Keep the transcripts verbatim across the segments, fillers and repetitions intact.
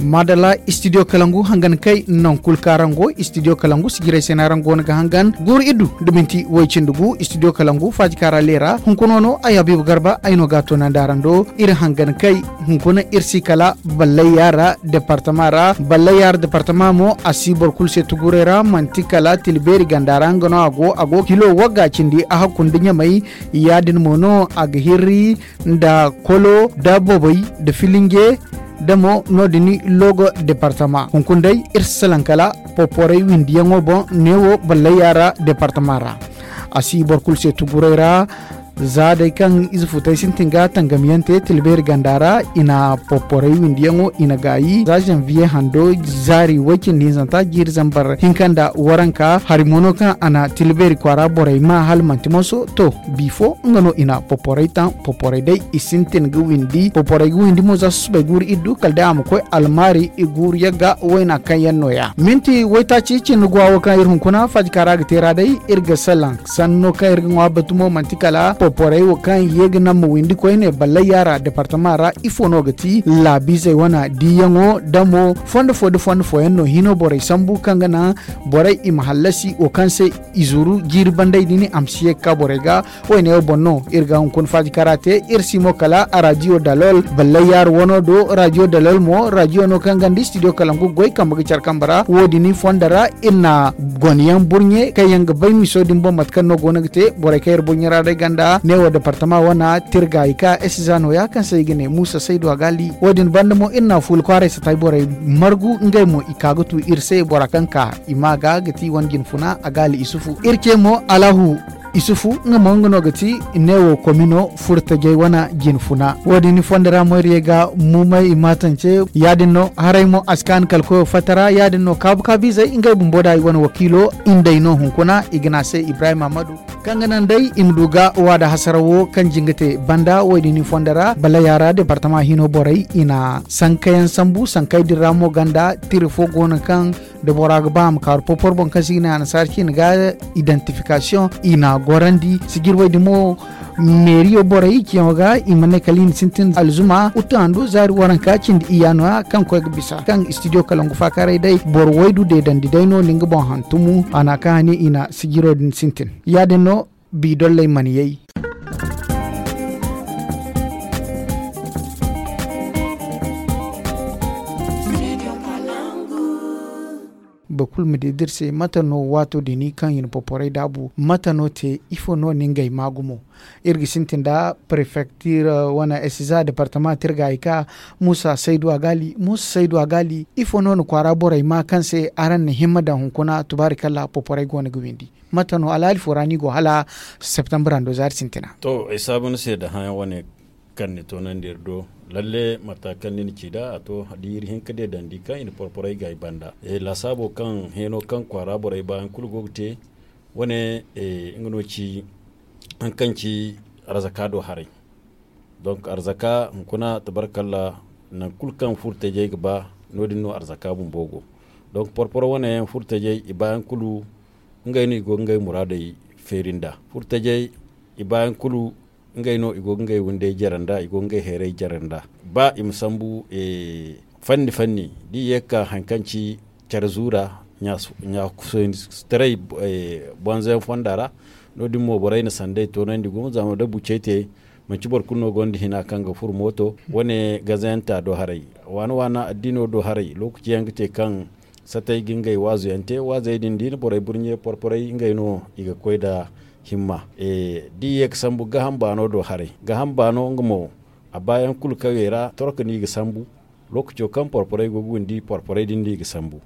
Maadalla, istidiyo kalangu hangan kay. Nankul kaŋ araŋ go istidiyo kalangu sijirey se no araŋ go no ga hangan guuru iddu nda minti woy cindi gu istidiyo kalangu faaji kaŋ a ra leera hunkuna no ay habiibu garba ay no ga a toonandi araŋ do. Iri hangan kay hunkuna iri si kala ballayya ra departama ra. Ballayya ra departama mo a si boro kulu se tuguray ra manti kala tilbeeri ganda ra nga no a go a go kilo wagga cindi a hakku nda ɲamay. Ya- din mo no a ga hirri nda kolo nda bobey nda filinge nda mo no- din loogo departama hunkuna day iri si salaŋ kala poporey windiyaŋo boŋ neewo ballayya ra departama ra. A si boro kulu se tuguray ra. Za day kaŋ ize futay sintin ga tangamyaŋ te tilbeeri ganda ra i na poporey windiyaŋo i na gaayi za zanviye hando zaari way- cindi hinzanta jiiri zambar hinka nda waranka hari mo no kaŋ a na tilbeeri kwaara borey ma hala manti moso to. Bifo nga no i na poporey taŋ poporey day i sintin ga windi poporey ga windi mo za susubay guuru iddu kala day a ma koy almaari i guuru yagga wayna kaŋ yaŋ no- ya minti waytaaci cindi guwa wo kaŋ iri hunkuna faajika ra ga te ra day iri ga salaŋ sanno kaŋ iri ga ŋwa batu mo manti kala poporey wo kaŋ ye ga naŋ ma windi koyne ballayya ra departama ra ifo no ga ti laabiizey wane diiyaŋo da mo fondo fo da fondo fooyaŋ no hino borey sambu kaŋ ga naŋ borey i ma hallasi wo kaŋ se i zuru jiiri banday din a ma si ye ga ka borey ga. Wayne wo boŋ no iri ga hunkuna faajika ra te iri si mo kala a raadiyo dalol ballayya ra wano do raadiyo dalol mo raadiyo no kaŋ ganda istidiyo kalangu goy kambe ga care kambe ra wo- din fondo ra iri na gone yaŋ burɲe kaŋ yaŋ ga bay miso din boŋ mate kaŋ no go no ga te borey kaŋ iri burɲe ra day ganda neewo departama wane tirgaayi ka esiza no- ya kaŋ se i ga ne muusa saydu a gaali wo- din banda mo iri na fuula kwaaray satay borey margu ngey mo i ka ga tu iri se bora kaŋ ka i ma ga ga ti wane jinfuna a gaali isufu iri ce mo alahu isufu nga mo nga no ga ti neewo komino furtajey wane jinfuna wo- din fondo ra mo iri ye ga mumay i maatance ya- din no haray mo a si kaanu kala koyo fatta ra ya- din no kaabu kaabiizey ngey bumbo da i wane wakiilo indey no hunkuna i ga ne a se ibrahim ahmadu kaŋ ga naŋ day i ma du ga waada hasarawo kaŋ jinga te banda wo- din fondo ra ballayya ra departama hino borey i na sankayaŋ sambu sankey din ra mo ganda tira fo go no kaŋ da bora ga ba a ma kaaru porpor boŋ kaŋ se i ga ne annasaara ciine ga idantifikasiyoŋ i na gorandi sijirwey din mo meeriyo borey ciyaŋo ga i ma ne kala i na sintin alzuma uttu handu zaari waranka cindi iyya no- ya kaŋ koy ga bisa kaŋ istidiyo kalangu faakaaray day boro waydu deedandi day no na nga boŋ hantumu a na kaŋ hani i na sijiro din sintin ya- din no biidolley mana yay. Boro kulu ma di da iri se mate no waato din kaŋ i na poporey daabu mate no te ifo no na ngey maa gumo? Iri ga sintin nda prefektir wane esiza departama tirgaayi ka muusa saydu a gaali muusa saydu a gaali ifo no na kwaara borey maa kaŋ se araŋ na himma daŋ hunkuna tubaari kalla poporey go no ga windi? Mate no alhaali fo ra no i go hala septambur hando zaari sintina. To ay saabu ni se da hããyaŋ wane kaŋ ni toonandi iri do. Lalle mata kaŋ ni na ci nd'a a to da iri hin ka deedandi kaŋ i na porporey ga ay banda laasaabo kaŋ heeno kaŋ kwaara borey baayaŋ kulu go ga te. Wane nga no ci haŋ kaŋ ci arzaka do haray. Donk arzaka hunkuna tabarkalla nangu kulu kaŋ furtajey ga ba no- din no arzaka bumbo go. Donk porporo wane yaŋ furtajey i baayaŋ kulu ngey no i go ga ngey muraadey feeri nd'a furtajey i baayaŋ kulu ngey no i go ga ngey windey jare nd'a i go ga ngey hayray jare nd'a. Ba i ma sambu fanni fanni da i ye ga ka hari kaŋ ci care zuura ɲa sohõ ni si taray bonzo yaŋ fonda ra. No- din mo borey na sanday toonandi gumo zama da bucey te manci boro kulu no gonda hina kaŋ ga furo mooto wane gazayaŋ ta do haray waana waana addiino do haray lookaci yaŋ ga te kaŋ satay ga ngey waazu yaŋ te waazey din da i na borey burɲe porporey ngey no i ga koy nda himma. Da i ye ga sambu gaham baano do haray gaham baano nga mo a baayaŋ kulu kawey ra torka no i ga sambu. Lookaco kaŋ porporey go ga windi porporey din no i ga sambu.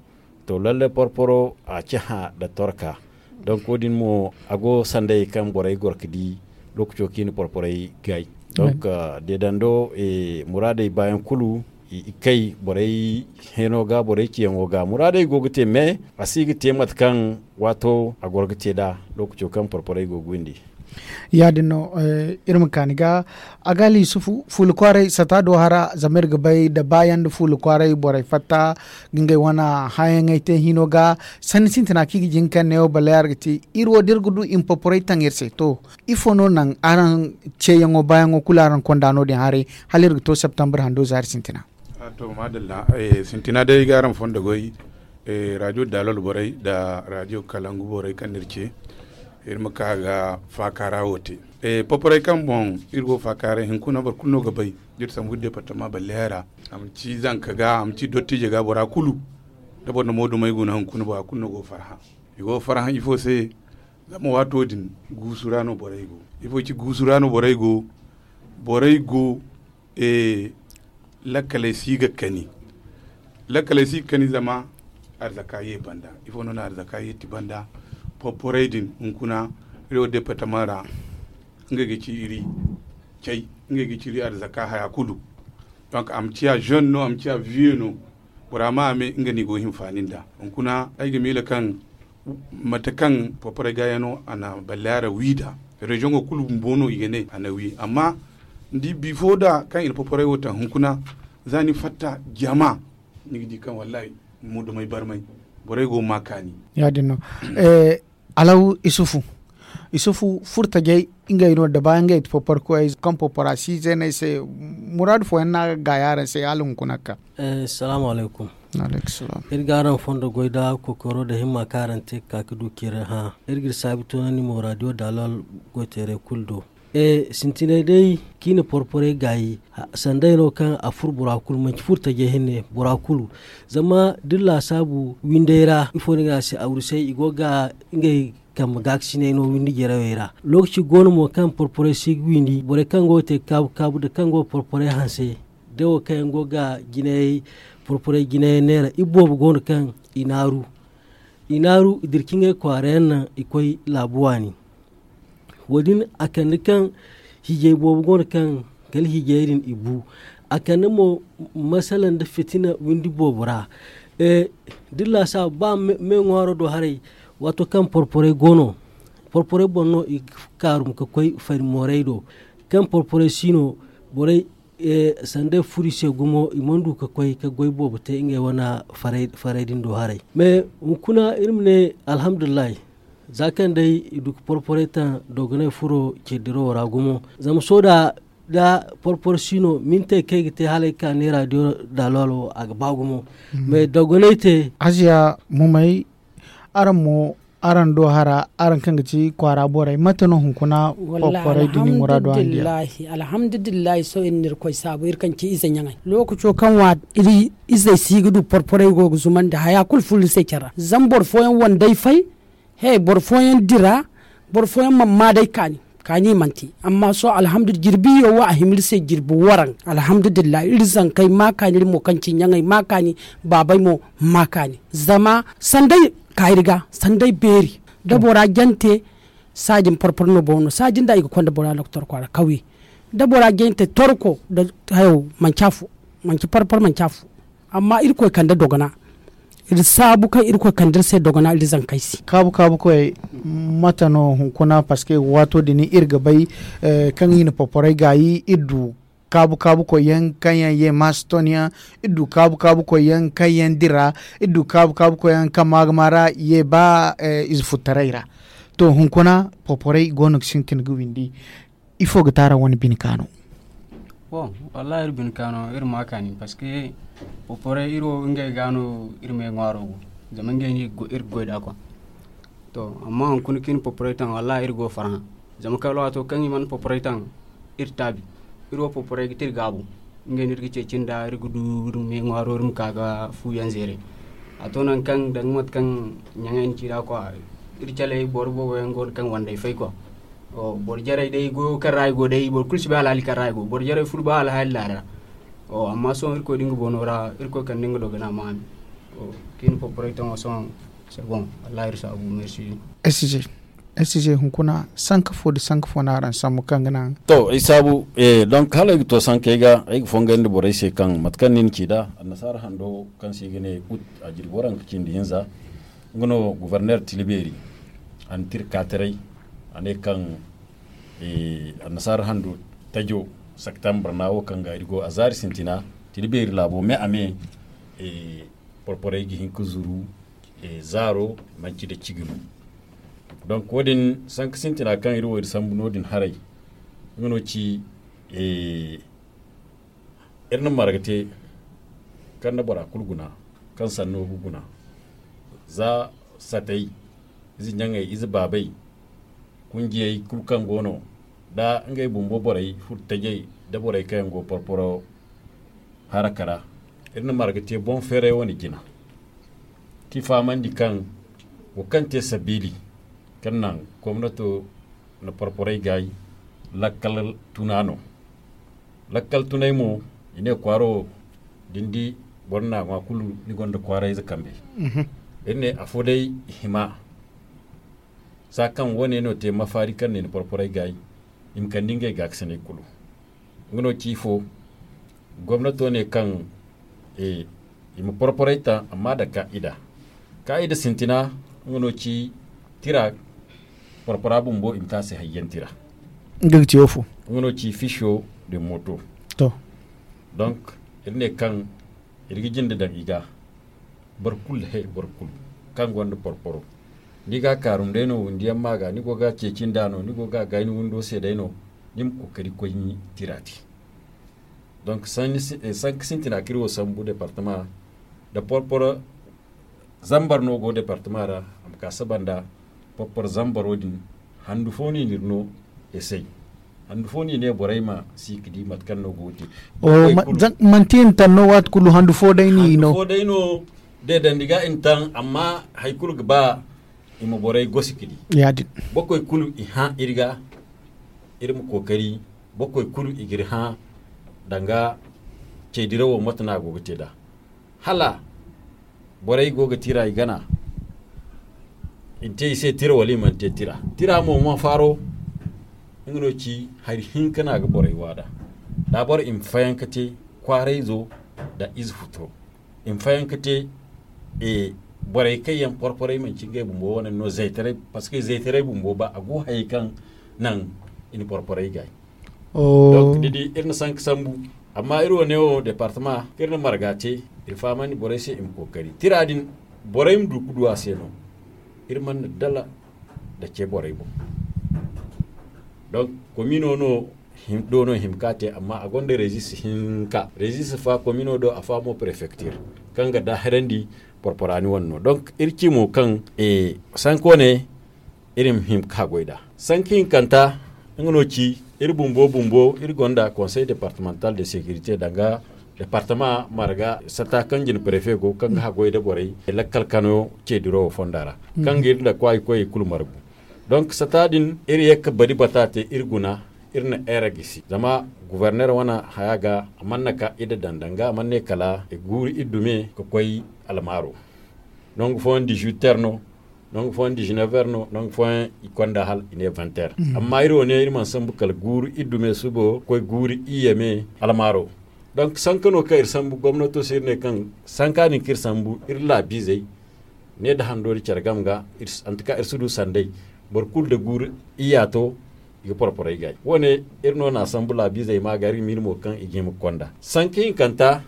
To lalle porporo a ci hã nda torka. Donk wo- din mo a go sandayey kaŋ borey goro ga di lookaco kaŋ i na porporey gaay. Donk deedando muraadey baayaŋ kulu i kay borey heeno ga borey ciyaŋo ga muraadey go ga te me a si ga te mate kaŋ waato a goro ga te nd'a lookaco kaŋ porporey go ga windi. Ya- din no iri ma kaani ga a ga alhisufu fuula kwaaray sata do hara zama iri ga bay nda baayaŋ nda fuula kwaaray borey fatta ga ngey wane hããyaŋey te hino ga. Sanni sintina kaŋ i ga jin kaŋ neewo ballay araŋ ga te iri wo da iri ga du i ma porporey taŋ iri se to ifo no naŋ araŋ ceeyaŋo baayaŋo kulu araŋ konda no- din haray hala iri ga to septambur hando zaari sintina? To, madalla. Sintina day ay ga araŋ fondo goy, radio dalol borey nda radio kalangu borey kaŋ no iri ce, iri ma ka ga faakaara wo te. Poporey kaŋ boŋ iri go faakaaray, hunkuna boro kulu no ga bay, da iri sambu iri departama balleya ra. A ma ci zanka ga, a ma ci dottijo ga, bora kulu, da boro na moodumey guna hunkuna, bora kulu no go ga farhã. I go ga farhã ifo se? Zama waato din guusu ra no borey go. Ifo ci guusu ra no borey go? Borey go, lakkaley si ga kani. Lakkaley si ga kani zama arzaka ye banda. Ifo no na arzaka ye ti banda? Porporey din hunkuna, iri wo departama ra, ngey ga ci iri cay, ngey ga ci iri arzaka haya kulu. Donc a ma ciya jeune no, a ma ciya vieux no, bora ma a me nga no i go ga hinfaani nd'a. Hunkuna ay ga miila kaŋ mate kaŋ porporey gaayano a na balleya ra wi nd'a, reziyoŋo kulu bumbo no i ga ne a na wi. Amma ni di bifo da kaŋ i na porporey wo taŋ hunkuna, za ni fatta jama, ni ga di kaŋ wallahi moodumey barmay, borey go ga ma kaani. Ya- din no. Alaw isufu, isufu furtajey, ngey no da bayan ngey ti porpor koyey kaŋ porpora si zeeney se. Muraadu fooyaŋ no a ga gaayi araŋ se hala hunkuna ga ka. Salaamu alaykum. Iri ga araŋ fondo goy da kokoyro da himma kaŋ araŋ te ga ka ga du kira hã. Iri ga iri saabi toonandi mo radio dalol goyteerey kulu do. Sintinay day kaŋ i na porporey gaayi, sanday no kaŋ a furo bora kulu manci furo tajey hinne bora kulu. Zama da iri laasaabu windey ra ifo no i ga ne a se awrisay i go ga ngey kambe gaakasiney no windi jarawey ra. Lookaci go no mo kaŋ porporey si ga windi borey kaŋ go ga te kaabu kaabu nda kaŋ go ga porporey hanse, da wo kaŋ yaŋ go ga jinayey porporey jinayaŋ neera iri boobo go no kaŋ i naaru. I naaru i dira ka ngey kwaara yaŋ naŋ i koy laabu waani. Wo- din a kande kaŋ hiijay boobo go no kaŋ kala hiijay din i bu. A kande mo masala nda fitina windi boobo ra. Da iri laasaabu ba me ŋwaaro do haray, waato kaŋ porporey go no, porporey boŋ no i ga kaarum ga koy fari moorey do. Kaŋ porporey si no, borey sanday furo i se gumo i mana du ga koy ga goy boobo te ngey wane farey din do haray. Mais hunkuna iri ma ne alhamdulillahi, za kaŋ day i du ga porporey taŋ dogonay furo ciri dirawo ra gumo. Zama sohõ da porpor si no mintey kaŋ ay ga te hala ay ga ka neera diyo da alwalo a ga ba gumo. Mais dogonay te. Aziya mumay, araŋ mo, araŋ do hara, araŋ kaŋ ga ci kwaara borey, mate no hunkuna porporey din i muraado araŋ diya? Alhamdulillahi, sohõ iri na irkoy saabu iri kaŋ ci ize ɲaŋey lookaco kaŋ wa iri izey si ga du porporey go ga zumandi haya kulu furo iri se care ra. Zama boro fooyaŋ wandey fay, he boro fooyaŋ dira, boro fooyaŋ mana maa day kaani. Kaani i mana te. Amma sohõ alhamdu jirbiyo wo a hima iri se jirbi waraŋ. Alhamdulillahi iri zankey ma kaani iri mo kaŋ ci ɲaŋey ma kaani, baabey mo ma kaani. Zama sanday ka iri ga sanday beeri. Da bora jante, saaji ma porpor no boŋ no saaji nda i ga konda bora doktor kwaara kawye. Da bora jante torko da hayo manci afo, manci porpor manci afo. Amma irkoy kande dogona. Iri saabu kaŋ irkoy kande iri se dogona iri zankey se. Kaabu kaabu koy, mate no hunkuna? Parce que waato din iri ga bay kaŋ i na porporey gaayi iri du kaabu kaabu koy yaŋ kaŋ yaŋ ye maaston yaŋ, iri du kaabu kaabu koy yaŋ kaŋ yaŋ dira, iri du kaabu kaabu koy yaŋ kaŋ maagama ra ye ba ize futtaray ra. To hunkuna porporey go no ga sintin ga windi. Ifo ga te araŋ wane bine kaano? Bon, wallahi iri bine kaano iri ma kaani parce que porporey iri wo ngey ga no iri me ŋwaaro go. Zama ngey no iri ga goy da kwa. To amma hunkuna kaŋ i na porporey taŋ wallahi iri go ga farhã. Zama kala waato kaŋ i mana porporey taŋ, iri taabi. Iri wo porporey ga te iri gaabu. Ngey no iri ga ceeci nda iri ga du iri me ŋwaaro iri ma ka ga fu yaŋ zeere. A to nangu kaŋ danga mate kaŋ ɲaŋey na ci nd'a kwa, iri caley boro boobo yaŋ go no kaŋ wandey fay kwa. Boro jarey day goyo kaŋ ra i go day boro kulu si bay alhaali kaŋ ra i go. Boro jarey furo ba alhaali laara. Amma sohõ irkoy da nga boono ra irkoy kande nga dogana ma a me. Kaŋ i na porporey taŋo sohõ, c'est bon. Wallahi iri saabu merci. Sj sj hunkuna sanka fo nda sanka fo no araŋ sambu kaŋ ga naŋ? To ay saabu. Donc hala ay ga to sankey ga ay ga fongay nda borey se kaŋ mate kaŋ ni na ci nd'a, annasaara hando kaŋ se i ga ne ut, a jirbi waranka cindi hinza. Nga no gouverneur tila beeri. A na tira ka taray. A ne kaŋ annasaara hando tajo septembre na wo kaŋ ga iri go a zaari sintina tila beeri laabo me a me. Porporey ga hin ga zuru zaaro manci da cigi no. Donc wo- din sanka sintina kaŋ iri wo iri sambu no- din haray. Nga no ci iri na marga te. kaŋ na bora kulu guna, kaŋ sanno ga guna, za satey, ize ɲaŋey, ize baabey, kunjiyey kulu kaŋ go no, da ngey bumbo borey furo tajey, da borey kaŋ yaŋ go porporo haraka ra, iri na marga te boŋ feeray wane jina, k'i fahamandi kaŋ wo kaŋ te sabiili kaŋ naŋ gomnato na porporey gaay lakkal tuna no. Lakkal tunay mo, i ne kwaaro da ni di boro na ŋwa kulu, ni gonda kwaarayze kambe. Iri ne afo day i hima, za kaŋ wane no te mafaari kaŋ ne ni porporey gaay, i ma kande ngey gaakasinay kulu. Nga no ci ifo, gomnato ne kaŋ i ma porporey taŋ, amma da kaa'ida. Kaa'ida sintina, nga no ci tira porpora bumbo i ma te a se hayyaŋ tira. Nga ga ci wo fo? Nga no ci fisho de moto. To. Donc, iri ne kaŋ iri ga jinde daŋ i ga, boro kulu he boro kulu kaŋ gonda porporo, ni ga a kaarum day no, windi yaŋ ma ga ni go ga a ceeci nd'a no, ni go ga a gaay ni windo se day no, ni ma kookari koy ni tira te. Donc sanka sintina kaŋ iri wo sambu departama da porporo zambar no go departama ra. A ma ka saba nda porporo zambaro din, handu fo no i n'iri no esey. Handu fo no i ne borey ma si ga di mate kaŋ no go ga te. Manti i na taŋ no waati kulu handu fo day no i no. Deedandi ga i na taŋ, amma hari kulu ga ba i ma borey gosi ga di. Boro koy kulu i hã iri ga, iri ma kookari boro koy kulu i ga iri hã danga ceedirawo mate no a go ga te nd'a. Hala borey go ga tira i gana, i na te i se tira wala i mana te tira. Tira mo ma faaro, nga no ci hari hinka no a ga borey waada. Daabor i ma fayanka te kwaarayzo nda ize futuro. I ma fayanka te borey kaŋ yaŋ porporey manci ngey bumbo wane no zaytaray, parceque zaytaray bumbo ba a go hayey kaŋ naŋ i na porporey gaay. Donc ni di iri na sanka sambu, amma iri wane wo departama kaŋ iri na marga te, iri fahamandi borey se i ma kookari tira din, borey ma du ga du a se no. Iri mana dala nda ce borey boŋ. Donc komino no do no hima ka te, amma a gonda rezis hinka, rezis fa komino do, a fa mo prefektir, kaŋ ga daahirandi porporani wane no. Donc iri ci mo kaŋ sanko ne iri ma hima ka goy nd'a. Sanka hinkanta, nga no ci iri bumbo bumbo iri gonda konsey departemantal de sekirite danga departama marga sata kaŋ jina prefe go kaŋ ga haggoy nda borey lakkal kano ceediro wo fonda ra, kaŋ ga iri nda kwaayi koyey kulu margu. Donc sata din iri ye ga bari bata te iri guna, iri na eera gisi zama guverner wane haya ga a mana ka ida daŋ danga a mana ne kala i guuru iri dume ga koy almaaro. Nangu fooyaŋ dizuwiter no, nangu fooyaŋ dizinever no, nangu fooyaŋ i konda hala i ne venter. Amma iri wo ne iri mana sambu kala guuru iri dume subo ga koy guuru iyye me almaaro. Donc sanka no kaŋ iri sambu gomnato se iri ne kaŋ sanka din kaŋ iri sambu iri laabiizey ne nda hando nda care game ga, antaka iri si du sanday. Boro kulu nda guuru iyya to, i ga porporey gaay wo- ne. Iri no na a sambu laabiizey ma ga iri ga miila mo kaŋ i ga hima ga konda sanka hinkanta,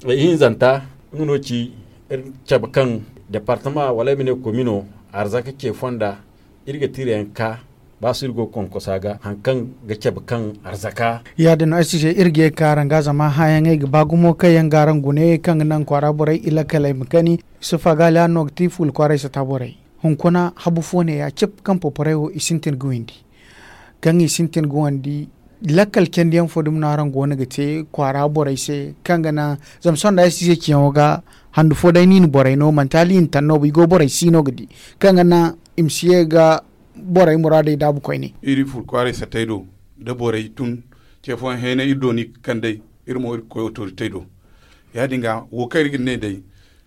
ihinzanta, nga no ci iri cabe kaŋ departama wala ay ma ne komino arzaka ce fonda, iri ga tira yaŋ ka ba si iri go ga konkosa ga hari kaŋ ga cabe kaŋ arzaka. Ya- din no ay si se iri ga ye ga ka araŋ ga zama hããyaŋey ga ba gumo kaŋ yaŋ ga araŋ gune kaŋ ga naŋ kwaara borey i lakkaley ma kani. Yusufa gaali araŋ no ga ti fuula kwaaray sata borey. Hunkuna habu fo ne ya cip kaŋ poporey wo i sintin ga windi, kaŋ i sintin ga windi. Lakkal candiyaŋ fo dumi no araŋ go no ga te kwaara borey se kaŋ ga naŋ zama sonda ay si se ciyaŋo ga handu fo day no i na borey no manti hala i na taŋ no ba i go borey si no ga di kaŋ ga naŋ i ma si ye ga borey muraadey daabu koyne. Iri furo kwaaray satey do da borey tun ce fooyaŋ heenay iri do no i ga kand'ey. Iri mo iri ga koy otoritey do. Ya- din ga wo kaŋ iri ga ne day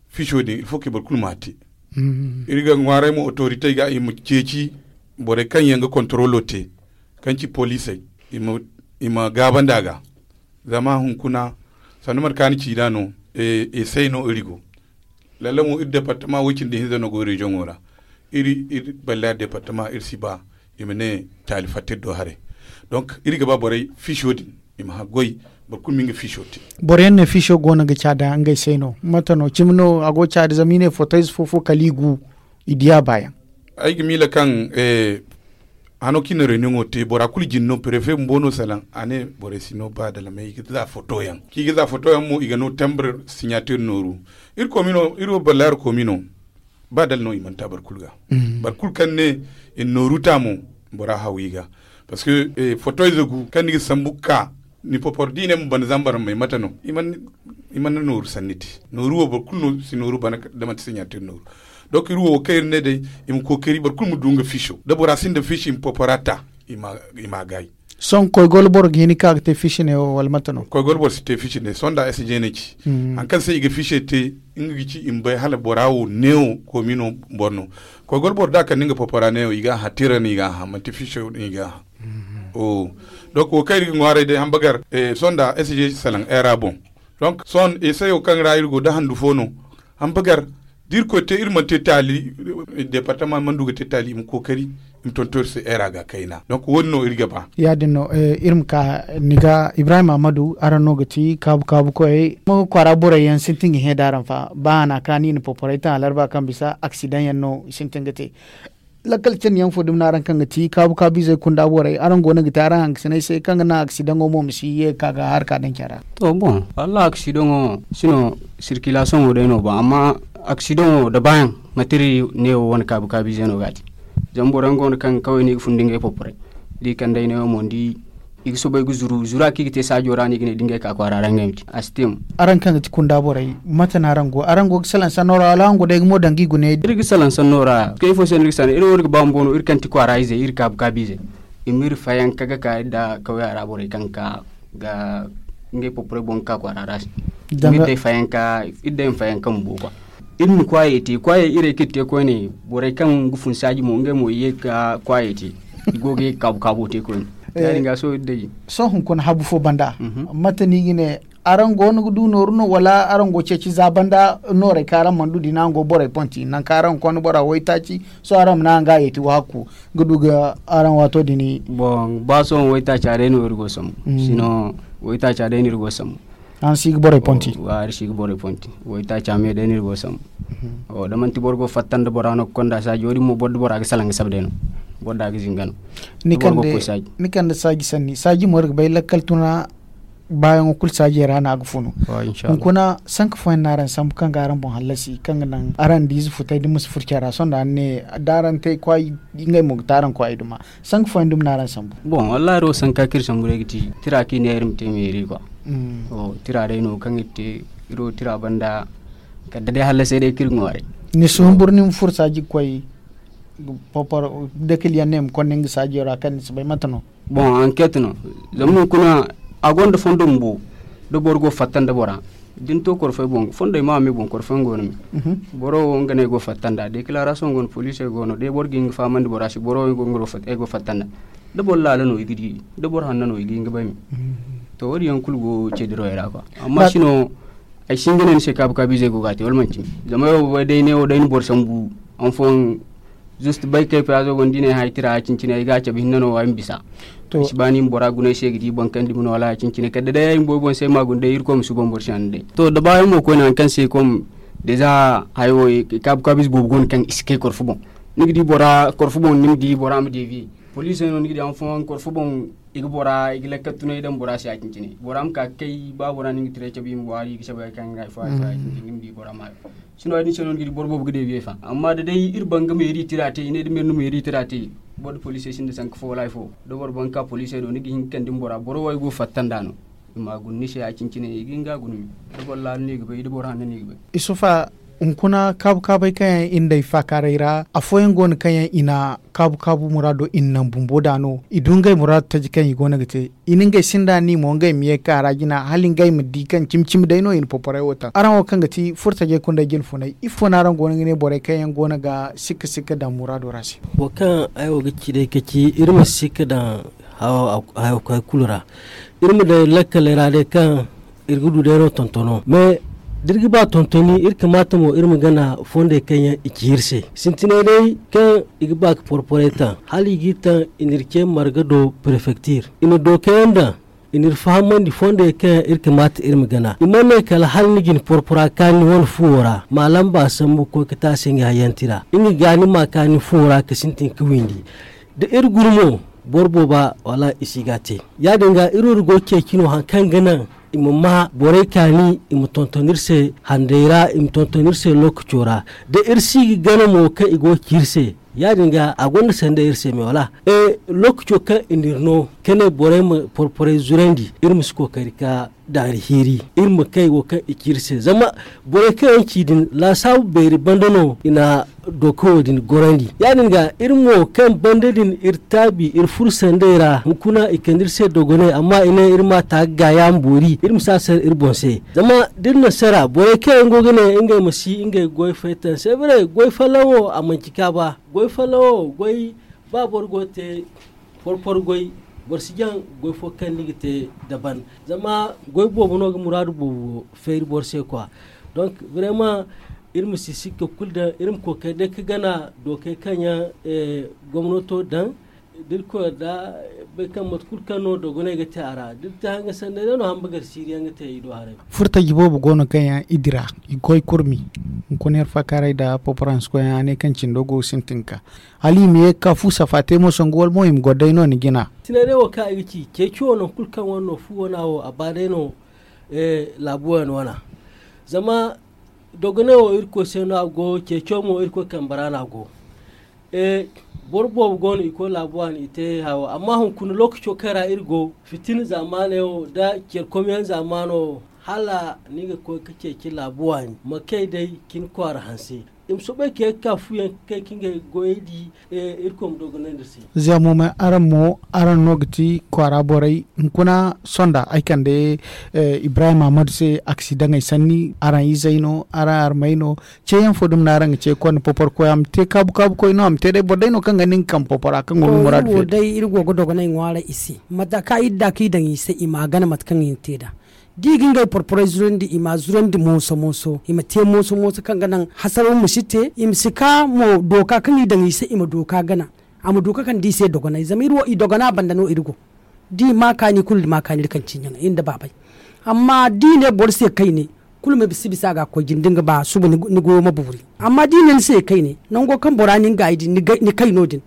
fiso din iri fo kaŋ boro kulu ma a te. Iri ga ŋwaaray mo otoritey ga i ma ceeci borey kaŋ yaŋ ga kontorolo te kaŋ ci poliisey, i ma gaabandi a ga. Zama hunkuna sanda mate kaŋ a na ci nd'a no, esey no iri go. Lalla mo iri departama way-cindi hinza no go reziyoŋo ra. Iri iri balla departama iri si ba i ma ne caali fatta iri do haray. Donk iri ga ba borey fiso din i ma haggoy. Boro kulu ma nga fiso te. Boro yaŋ ne fiso go no ga caada ngey se no mate no cimi no a go ga caada zama i ne fotoyze fo fo kala i gu i diya baayaŋ. Ay ga miila kaŋ hano kaŋ i na reuniyoŋo te, bora kulu jin no, prefe bumbo no salaŋ. A ne borey si no ba da lamey, i ga za foto yaŋ kaŋ i ga za foto yaŋ mo, i ga no tambre, sinyatir nooru. Iri wo ballaari komi no. Ba dala no i mana ta boro kulu ga. Boro kulu kaŋ ne i na nooru ta mo, bora haw i ga. Parce que foto ize gu kaŋ ni ga sambu ga ka, ni popor da i ne ma bana zambar ma may mate no? I mana nooru sanni te. Nooru wo boro kulu no si nooru bana, da manti sinyatir nooru. Donc iri wo kaŋ iri ne day, i ma kookari boro kulu ma du nga fiso, da bora sinda fiso i ma popora ta. I ma gaayi. Sohõ koy golo boro ga hin ga ka ga te fiso ne wo wala mate no? Koy golo boro si te fiso ne sohõ da s j ne ci. Hari kaŋ se i ga fiso te, nga ga ci i ma bay hala bora wo neewo komi no boro no. Koy golo boro da a kande nga popora neewo i ga a hã tira no i ga a hã, manti fiso no i ga a hã. Donc wo kaŋ iri ga ŋwaaray day hambagar, sohõ da s j salaŋ era boŋ. Donc sohõ esayo kaŋ ra iri go da handu fo no. Hambagar da iri koy te iri mana te taali, departama mana du ga te taali i ma kookari i ma tonton iri se era ga kayna. Donc wo- din no iri ga ba. Ya- din no. Iri ma ka ni ga ibrahim ahmadu araŋ no ga ti kaabu kaabu koyey ma kwaara borey yaŋ sintin ga hẽ da araŋ fa ba a na kaani i na poporey taŋ alarba kaŋ bisa aksidaŋ yaŋ no sintin ga te. Lakkal candi yaŋ fo dumi no araŋ kaŋ ga ti kaabu kaabu izey kunda borey araŋ go no ga te araŋ hangasiney se kaŋ ga naŋ aksidaŋo mo ma si ye ga ka ga harka daŋ care ra. To boŋ wallaahi aksidaŋo sino sirkilasoŋo day no boŋ amma aksidaŋo da baayaŋ mate iri neewo wane kaabu kaabu ize no ga a te. Zama boro yaŋ go no kaŋ ga kaway no i ga fun da ngey poporey da i kande ay neewo mo ni di i ga soobay ga zuru zura kaŋ i ga te saajo ra no i ga ne da ngey ka kwaara ra ngey ma te a si te mo. Araŋ kaŋ ga ti kunda borey mate no araŋ go araŋ go ga salaŋ sanno ra wala araŋ go day ga mo daŋ ga i gune? Iri ga salaŋ sanno ra kay ifo se no iri ga salaŋ iri wo iri ga ba bumbo no iri kaŋ ti kwaara izey iri kaabu kaabu izey i ma iri fayanka ga ka iri nda kawya ra borey kaŋ ga ka ga ngey poporey boŋ ga ka kwaara ra se. Iri day fayanka bumbo kwa iri ma kwaayey te kwaayey irey kaŋ iri te koyne borey kaŋ ga fun saaji mo ngey mo i ye ga kwaayey te i go ga ye ga kaabu kaabo te koyne. Ya- din ga sohõ iri day. Sohõ hunkuna habu fo banda mate no i ga ne araŋ go no ga du nooru no wala araŋ go ceeci za banda noorey kaŋ araŋ mana du din araŋ go borey ponti nangu kaŋ araŋ ga konda bora waytaaci sohõ araŋ ma naŋ araŋ ga a yeeti waaku ga du ga araŋ waato din. Boŋ ba sohõ waytaaca day no iri go sambu sino waytaaca day no iri go sambu. Araŋ si ga borey ponti. Araŋ si ga borey ponti waytaaca me day no iri go sambu. Da manti boro go fatta nda bora no ga konda saaji wo- din mo boro da bora ga salaŋ ga sabe day no boro da ga zinga no. Ni kande saaji sanni saaji mo iri ga bay lakkal tuna baayaŋo kulu saajey ra no a ga funu. Hunkuna sanka fooyaŋ no araŋ sambu kaŋ ga araŋ boŋ hallasi kaŋ ga naŋ araŋ da ize futay da ma si furo care ra sohõ da araŋ ne da araŋ te kwaay ngey mo ga te araŋ kwaay duma. Sanka fooyaŋ dumi no araŋ sambu. Boŋ wallaahi iri wo sanka kaŋ iri sambu day ga ti tira kaŋ i ne iri ma te meeri kwa. Tira day no kaŋ iri te iri wo tira banda kala day hallasey day kaŋ iri ŋwaaray. Ni si humburu ni ma furo saaji ga koy poporo dakil yaŋ ne ma konda nga saajo ra kaŋ ni si bay mate no? Boŋ anket no. Zama hunkuna a gonda fondo bumbo da boro go fatta nda bora da ni to korfey boŋ fondey ma a me boŋ korfey yaŋ go no me. Boro wo nga no ay go fatta nda declaration go no poliisey go no day boro ga hin ga fahamandi bora se boro wo ay go fatta nda da boro laala no i ga di da boro hanno no i ga hin ga bay me. To wo- din yaŋ kulu go ce dirawey ra kwa. Amma sino ay si hin ga ne ni se kaabu kaabu izey go ga a te wala manti me zama ay wo ga bay day ne wo day ni boro sambu. Hanfooyaŋ zust bay kay payaazo go no da i ne ay hã ay tira ya cine-cine ay ga a cabe hinne no ay ma bisa. Ay si ba ni ma bora guna ay se ga di boŋ kaŋ dumi no wala ya cine-cine kala da day ay bumbo ay boŋ se ay ma a guna day irkoy ma suuban boro se hanno day to da baayaŋ mo koyne hari kaŋ se kom deza hayo kaabu kaabu ize boobo go no kaŋ i si kay korfo boŋ. Ni ga di bora korfo boŋ ni ma di bora ma deviye poliisey no ni ga di hanfooyaŋ korfo boŋ i ga bora i ga lakkal tunay daŋ bora se ya cine-cine bora ma ka ga kay ba bora no ni ga tiray cabe i ma waari i ga cabe hari kaŋ ga hari fo hari fo ya cine-cine ni ma di bora ma hayo. Sino ya- din se no ni ga di boro boobo ga deebiyey fa amma da day iri banga meeri tira te i ne da meeri no meeri tira te boro da poliisey sinda sanka fo wala hari fo da boro banga ka poliisey do ni ga hin ga kande ni bora boro wo ay go fatta nda no. I ma a guna ni se ya- cine-cine i ga hin ga a guna me da boro laala no i ga bay da boro hanno no i ga bay. Isufa, hunkuna kaabu kaabey kaŋ yaŋ iri nda ay faakaaray ra afooyaŋ go no kaŋ yaŋ i na kaabu kaabu muraado i na naŋ bumbo da no i du ngey muraado taji kaŋ i go no ga te. I na ngey sinda ni mo ngey ma ye ga ka ra jina hala ngey ma di kaŋ cimi cimi day no i na poporay wo taŋ araŋ wo kaŋ ga ti furo tajey kundey jine funay ifo no araŋ go no ga ne borey kaŋ yaŋ go no ga sikka sikka daŋ muraado ra se? Wo kaŋ ay wo ga ci day ka ci iri ma sikka daŋ hayo koy kulu ra. Iri ma day lakkaley ra day kaŋ iri ga du day no tontono mais da iri ga ba tontoni iri kamaata mo iri ma gana fondey kaŋ yaŋ i ci iri se sintinay day kaŋ i ga ba ka porporay taŋ hala i g'i taŋ i n'iri ce marga do prefektir i na dookayaŋ daŋ i n'iri fahamandi fondey kaŋ yaŋ iri kamaata iri ma gana i mana ne kala hala ni ga ni porpora kaani wane fuwo ra ma lamba sambu ga koy ga te a se nga hayantira nga ga ni ma kaani fuwo ra ga sintin ga windi. Da iri guru mo, boro booba wala i si ga te. Ya- din ga iri wo iri go ga ceeci no hari kaŋ ga naŋ i ma ma borey kaani, i ma tonton iri se handay ra, i ma tonton iri se lookaco ra. Da iri si ga gana mo kaŋ i go ga ci iri se, ya- din ga a gonda sanda iri se me wala? Lookaco kaŋ i na iri no ka ne borey ma porporey zurandi, iri ma si kookari ka daari hiiri, iri ma kay wo kaŋ i ci iri se. Zama borey kaŋ yaŋ ci din laasaabu beeri banda no i na dooka wo din gorandi. Ya- din ga iri mo kaŋ banda din iri taabi iri furo sanday ra, hunkuna i kande iri se dogonay, amma i ne iri ma ta ga gaayaama boori, iri ma si a sara iri boŋ se. Zama da iri na sara borey kaŋ yaŋ go ga ne ngey ma si ngey goy faytaŋ se bare goy folloŋ wo a manci kaaba. Goy folloŋ wo goy, ba boro go ga te porporo goy, boro si jaŋ goy fo kaŋ ni ga te daban. Zama goy boobo no ga muraadu boobo feeri boro se kwa. Donk, vraiment, iri ma si sikka kulu daŋ iri ma kookari day ka gana dookey kaŋ yaŋ gomnato daŋ. Da iri koy da bay kaŋ mate kulu kaŋ no dogonay ga te a ra da iri te hanga sanday day no hamba gar siiri yaŋ ga te i do haray. Furtaji boobo go no kaŋ yaŋ i dira i ga koy kurmi. Hunkuna iri faakaaray nda poporanse koy yaŋ a ne kaŋ cindo go ga sintin ga ka hala i ma ye ga ka fu safa te mo sangu wala mo i ma goro day no ni jina. Sinay day wo kaŋ ay ga ci ceeci wo nangu kulu kaŋ wane no fu wana wo a ba day no. Laabu wane wana zama dogonay wo irkoy se no a go ceeco mo irkoy kambe ra no a go. Boro boobo go no i koy laabu waani i te hayo amma hunkuna lookaco kaŋ ra iri go fitina zaamaaney wo nda care komyaŋ zaamaano hala ni ga koy ga ceeci laabu waani ma kay day cin kwaara hanse. I ma soobay ka ye ga ka fuyaŋ ga kay ka ngey goyey di. Irkoy ma dogonandi iri se. Ziyamo me araŋ mo araŋ no ga ti kwaara borey hunkuna sonda ay kande ibrahim ahmadu se aksidaŋey sanni araŋ izey no araŋ armey no. Ceeyaŋ fo dumi no araŋ ga ce konda popor koy a ma te kaabu kaabu koy no a ma te day boro day no kaŋ ga nin kambe popora kaŋ go ga muraadu feeri. Day iri go ga dogonay ŋwaara i se mate kaŋ iri da kaŋ i daŋ i se i ma a gana mate kaŋ i na te nd'a da i ga ngey porporey zurandi i ma a zurandi mooso mooso i ma te mooso mooso kaŋ ga naŋ hasaraw ma si te i ma si ka mo dooka kaŋ i daŋ i se i ma dooka gana. A ma du ka kande i se dogonay zama iri wo i dogona banda no iri go. Da i ma kaani kulu da ma kaani iri kaŋ ciiɲaŋ iri nda baabay. Amma da i ne boro se kayne kulu ma si bisa a ga koy jine da ni ga ba suba ni goyo ma buuri. Amma da i ne ni se kayne nango kaŋ bora nin gaayi din ni kay no- din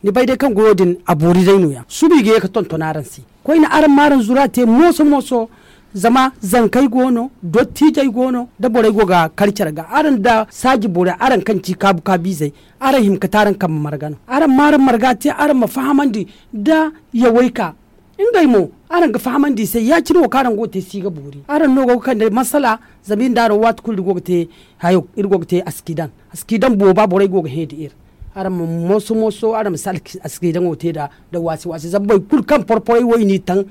ni bay day kaŋ goyo din a boori day no- ya suba i ga ye ga tonton araŋ se. Koyne araŋ ma araŋ zura te mooso mooso. Zama zankey go no dottiijey go no da borey go ga kar care ga araŋ nda saaji borey araŋ kaŋ ci kaabu kaabiizey. Araŋ hima ga te araŋ kambe marga no araŋ ma araŋ marga te araŋ ma fahamandi nda yawey ka. Ngey mo araŋ ga fahamandi i se ya- cine wo kaŋ araŋ go ga te si ga boori araŋ no go ga kande masala. Zama iri nda araŋ waati kulu iri go ga te hayo iri go ga te askidaŋ askidaŋ booba borey go ga hẽ nda iri. Araŋ ma mooso mooso araŋ ma si askidaŋo te nda waasi waasi zama boro kulu kaŋ porporey wo i n'i taŋ.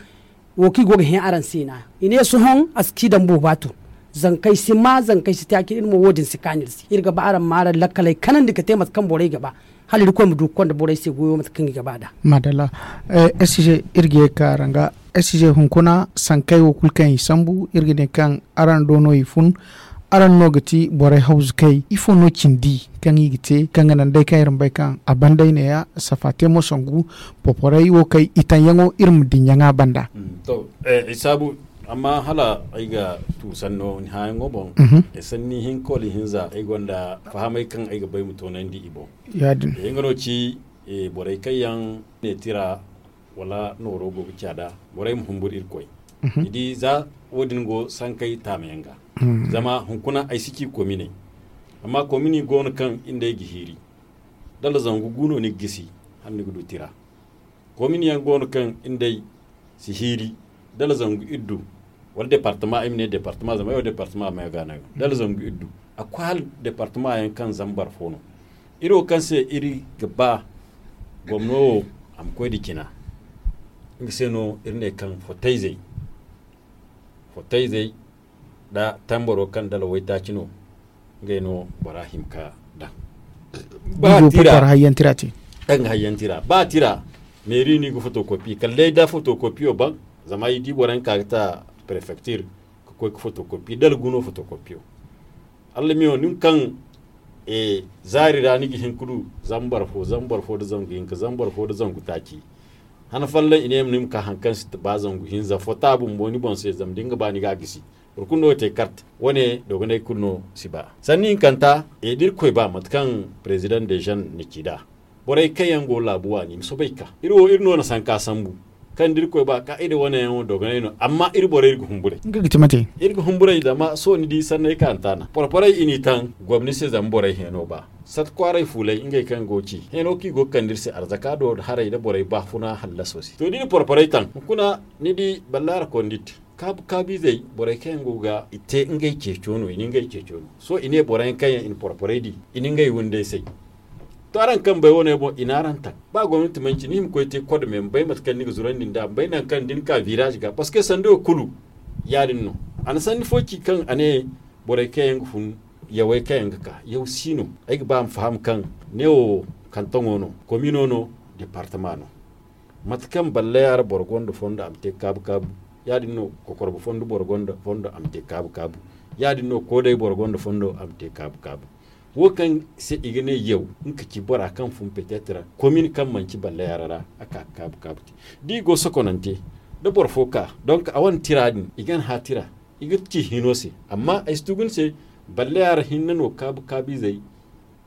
Wo kaŋ i go ga hẽ araŋ se no- ya i ne sohõ a si ci daŋ booba tun. Zankey si ma zankey si te a cine iri mo wo- din si kaanu iri se iri ga ba araŋ ma araŋ lakkaley kanandi ga te mate kaŋ borey ga ba. Hala irkoy ma du ga konda borey se goyo mate kaŋ i ga ba nd'a. Maadalla. Sg iri ga ye ga ka araŋ ga sg hunkuna sankey wo kulu kaŋ i sambu iri ga ne kaŋ araŋ do no i fun. Araŋ no ga ti borey hawzukey ifo no cindi kaŋ i ga te kaŋ ga naŋ day kaŋ iri ma bay kaŋ a banday ne- ya safa te mo sangu. Poporey wo kay i taŋyaŋo iri ma diɲɲaŋa banda. To, ay saabu amma hala ay ga tu sanno ni hãyaŋo boŋ. Sanni hinka wala hinza ay gonda fahamay kaŋ ay ga bay ma toonandi i boŋ. Ya- din nga no ci borey kaŋ yaŋ ne tira wala nooro go ga caada borey ma humbur irkoy. Ni di za wo- din go sankey taamayaŋ ga. Zama hunkuna ay si ci kominey. Amma komini go no kaŋ iri nd'ey ga hiiri dala zangu gu no ni ga gisi hala ni ga du tira. Komini yaŋ go no kaŋ iri nd'ey si hiiri dala zangu iddu wala departama ay ma ne departama zama ay wo departama ma ga no ay wo dala zangu iddu. A koy hala departama yaŋ kaŋ zambar fo no. Iri wo kaŋ se iri ga ba gomno wo a ma koy nda cina. Nga se no iri ne kaŋ fotayzey fotayzey nda tambaro kaŋ dala waytaaci no. Ngey no bora hima ka daŋ ba tira. Kaŋ ga hayyantira ba tira meeri no i ga fotokopi kala day da fotokopiyo baŋ. Zama i di boro yaŋ ka ga ta prefektir ka koy ga fotokopi dala guno fotokopiyo. Allamiyo nin kaŋ zaari ra ni ga hin ka du zambar fo zambar fo nda zangu hinka zambar fo nda zangu taaci. Han folloŋ i ne ni ma ka hari kaŋ si ba zangu hinza fota bumbo ni boŋ se zama da ni ga ba ni ga a gisi. Boro kulu no ga te karte wane dogonay kulu no si ba sanni hinkanta. Da irkoy ba mate kaŋ president de jeune na ci nd'a. Borey kaŋ yaŋ go laabu waani i ma soobay ga ka iri wo iri no na sanka sambu. Kaŋ da iri koy ba kaa'ida wane yaŋo dogonay no amma iri borey iri ga humburay. Nga ga ti mate. Iri ga humburay zama sohõ ni di sanney kaŋ a na taana porporey i n'i taŋ. Gomni se zama borey hẽeno ba sata kwaaray fuulay ngey kaŋ go ga ci hẽeno kaŋ i go ga kande iri se arzaka do haray nda borey baafuna hallaso se to da i na porporey taŋ hunkuna ni di ballaara kondit kaabu kaabu izey borey kaŋ yaŋ go ga i te ngey ceeco no i na ngey ceeco no. Sohõ i ne boro yaŋ kaŋ yaŋ i na porporey di i na ngey windey say. To araŋ kambey wane boŋ i na araŋ taŋ ba gomnati manci ni hima koy te kod me ma bay mate kaŋ ni ga zurandi nd'a ma bay nangu kaŋ da ni ka viraazi ga parceque sanduyo kulu ya- din no. A na sanni fo ci kaŋ a ne borey kaŋ yaŋ ga fun yawey kaŋ yaŋ ga ka yaw si no. Ay ga ba ma faham kaŋ ne wo kantoŋo no, komino no, departama no. Mate kaŋ balle yaara boro gonda fondo a ma te kaabu kaabu. Ya- din no kokorba fondo boro gonda fondo a ma te kaabu kaabu. Ya- din no koodey boro gonda fondo a ma te kaabu kaabu. Wo kaŋ se i ga ne yaw nga ka ci bora kaŋ fun petetre komin kaŋ manci balle yaara ra a ka ga kaabu kaabu te. Da i go sokonante da boro fo ka donk a wane tira din i gan hã tira i ga ci hino se. Amma ay si tugu ni se balle yaara hinne no kaabu kaabu izey.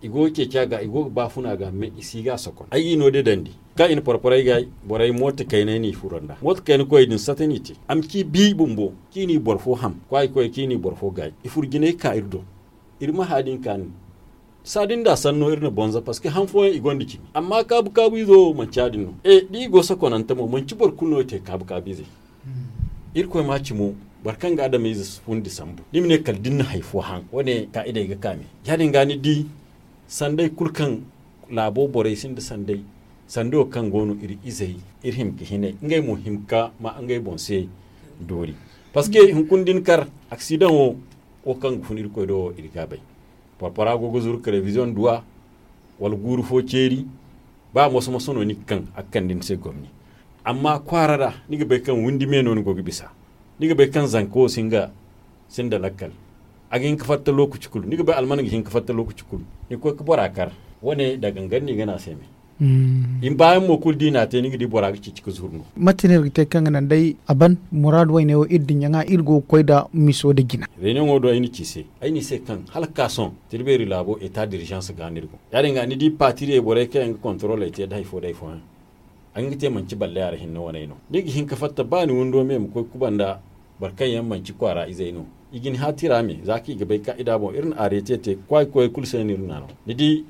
I go ga ceeci a ga i go ga baafuna ga mais i si ga a sokon ay ga i no day dandi kaŋ i na porporey ga borey mooto kayney no i furo nd'a mooto kayna koyey din sata no i te a ma ci bi bumbo kaŋ i n'i boro fo ham kwaayi koyey kaŋ i n'i boro fo gaayi i furo jinay ga ka iri do. Iri ma hã din ka nin saa din da sanno iri na bonza parceque han fooyaŋ i gonda cimi amma kaabu kaabu izo wo manci ya- din no. E da i go sokonante mo manci boro kulu no ga te kaabu kaabu izey. Irkoy ma ci mo boro kaŋ ga adameyze fundi sambu da i ma ne kala da ni na hari fo haŋ wane kaa'idey ga ka me. Ya- din ga ni di sandey kulu kaŋ laabo borey sinda sandey sanduyo kaŋ go no iri izey iri hima ga hinay ngey mo hima ga ma ngey boŋ se doori. Parceque hunkuna da ni kar aksidaŋo wo kaŋ ga fun irkoy do wo iri ga a bay. Porpora go ga zuru ka reviziyoŋ duw'a wala guuru fo ceeri. Ba moso moso no ni ga kaŋ a ga kande ni se gomni. Amma kwaara ra ni ga bay kaŋ windi me no ni go ga bisa. Ni ga bay kaŋ zanka wo si nga sinda lakkal. A ga hin ga fatta lookaci kulu ni ga bay alman ga hin ga fatta lookaci kulu. Ni ga koy ga bora kar wane da gangar no i ga ne a se me. I ma baayaŋ mo kulu da i n'a te ni ga di bora ga ceeci ga zuru no. Mate no iri ga te kaŋ ga naŋ day a ban muraadu wayne wo iri dinya ŋwa iri go ga koy nda miso nda jina. Reuniyoŋo do ay na ci se ay ne i se kaŋ hala ga ka sohõ tirbeeri laabo eta dirizans ga no iri go. Ya- din ga ni di paatiriyey borey kaŋ yaŋ ga kontoroley te nda hari fo nda hari fooyaŋ. A ga hin ga te manci balle yaara hinne waney no ni ga hin ga fatta ba ni windo me ma koy ga kuba nda boro kaŋ yaŋ manci kwaara izey no. I ga ni hã tira me za kaŋ i ga bay kaa'ida boŋ iri na aarete te kwaayi koyey kulu se no iri naanoo. Ni di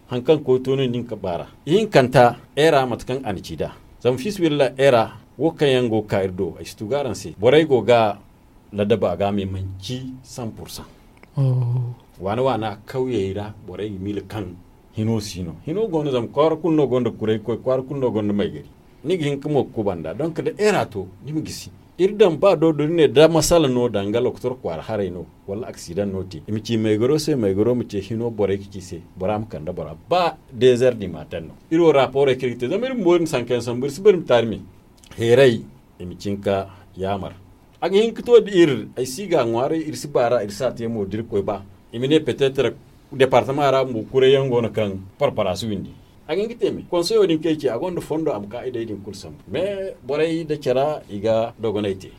hari kaŋ koy to no ni ga baara ihinkanta. Era mate kaŋ a na ci nd'a zama fiisabilillahi era wo kaŋ yaŋ go ga ka iri do ay si tugu araŋ se borey go ga ladaba ga me manci san pursan. Waana waana kawyey ra borey ga miila kaŋ hino si no hino go no zama kwaara kulu no gonda kuray koy kwaara kulu no gonda maygari. Ni ga hin ga mo ga kuba nda donk da era to ni ma gisi. Iri daŋ ba do da ni ne da masala no danga lokotor kwaara haray no wala aksidaŋ no te i ma ci maygaro se maygaro ma ce hino borey ga ci se bora ma kande bora ba dezer di ma taŋ no. Iri wo raporey kaŋ iri ga te zama iri bumbo iri ma sanka yaŋ sambu iri si bari ma taari me. Heeray i ma cin ka yaamar. A ga hin ga to da iri ay si ga a ŋwaaray iri si baara iri si a te mo da iri koy ba i ma ne petetre departama ra bumbo kuray yaŋ go no kaŋ parpara si windi. A ga hin ga te me konseyo din kaŋ ay ci a gonda fondo a ma ka i day din kulu sambu mais borey nda cara i ga dogonay te.